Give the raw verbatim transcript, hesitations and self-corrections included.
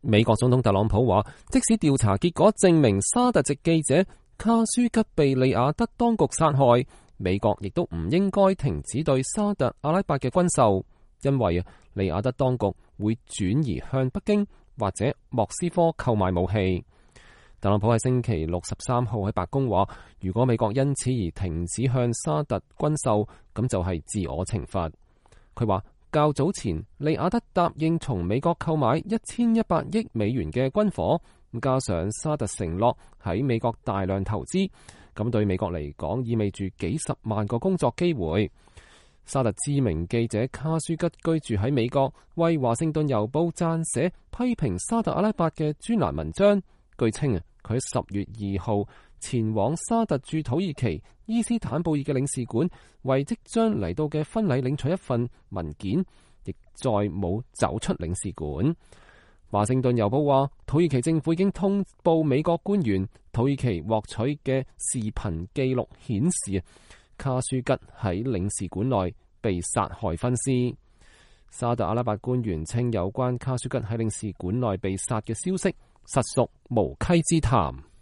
美國總統特朗普話，即使調查結果證明沙特籍記者卡舒吉被利雅得當局殺害，美國亦都唔應該停止對沙特阿拉伯嘅軍售，因為啊，利雅得當局會轉移向北京或者莫斯科購買武器。特朗普喺星期六十三號喺白宮話，如果美國因此而停止向沙特軍售，咁就係自我懲罰。佢話較早前利雅得答應從美國購買一千一百億美元嘅軍火，加上沙特承諾喺美國大量投資，咁對美國嚟講意味住幾十萬個工作機會。沙特知名記者卡舒吉居住喺美國，為華盛頓郵報撰寫批評沙特阿拉伯嘅專欄文章。據稱啊，佢喺十月二號前往沙特駐土耳其伊斯坦布爾嘅領事館，為即將嚟到嘅婚禮領取一份文件，亦再冇走出領事館。華盛頓郵報話，土耳其政府已經通報美國官員，土耳其獲取嘅視頻記錄顯示，卡舒吉喺領事館內被殺害分屍。沙特阿拉伯官員稱，有關卡舒吉喺領事館內被殺嘅消息實屬無稽之談。